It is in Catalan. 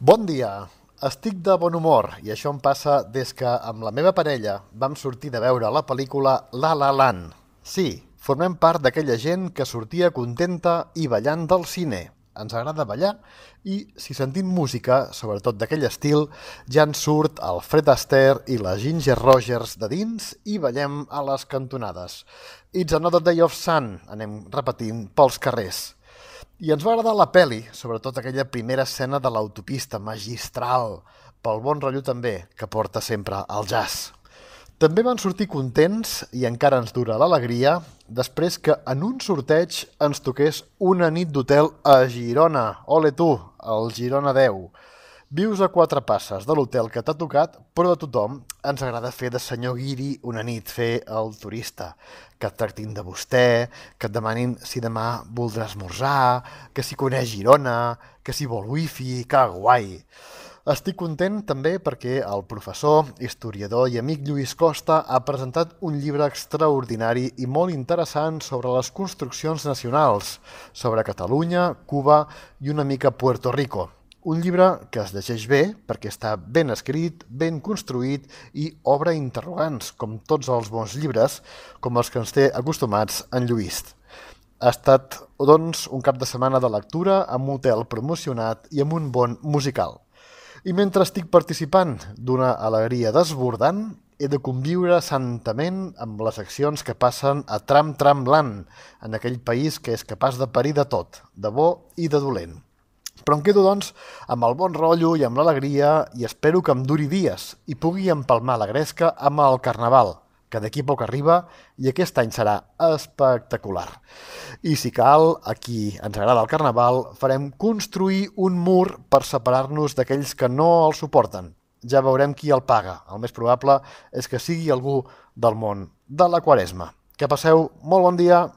Bon dia! Estic de bon humor i això em passa des que amb la meva parella vam sortir de veure la pel·lícula La La Land. Sí, formem part d'aquella gent que sortia contenta i ballant del cine. Ens agrada ballar i, si sentim música, sobretot d'aquell estil, ja ens surt el Fred Astaire i la Ginger Rogers de dins i ballem a les cantonades. It's another day of sun, anem repetint pels carrers. I ens va agradar la peli, sobretot aquella primera escena de l'autopista, magistral, pel bon rotllo també, que porta sempre al jazz. També van sortir contents, i encara ens dura l'alegria, després que en un sorteig ens toqués una nit d'hotel a Girona. Ole tu, el Girona 10. Vius a 4 passes de l'hotel que t'ha tocat, però a tothom ens agrada fer de senyor guiri una nit, fer el turista. Que et tractin de vostè, que et demanin si demà voldrà esmorzar, que si coneix Girona, que si vol wifi, que guai! Estic content també perquè el professor, historiador i amic Lluís Costa ha presentat un llibre extraordinari i molt interessant sobre les construccions nacionals, sobre Catalunya, Cuba i una mica Puerto Rico. Un llibre que es llegeix bé perquè està ben escrit, ben construït i obre interrogants, com tots els bons llibres, com els que ens té acostumats en Lluís. Ha estat, doncs, un cap de setmana de lectura amb un hotel promocionat i amb un bon musical. I mentre estic participant d'una alegria desbordant, he de conviure santament amb les accions que passen a Tram-Tram-Land, en aquell país que és capaç de parir de tot, de bo i de dolent. Però em quedo, doncs, amb el bon rotllo i amb l'alegria i espero que em duri dies i pugui empalmar la gresca amb el Carnaval, que d'aquí poc arriba i aquest any serà espectacular. I si cal, aquí ens agrada el Carnaval, farem construir un mur per separar-nos d'aquells que no el suporten. Ja veurem qui el paga. El més probable és que sigui algú del món de la Quaresma. Que passeu molt bon dia!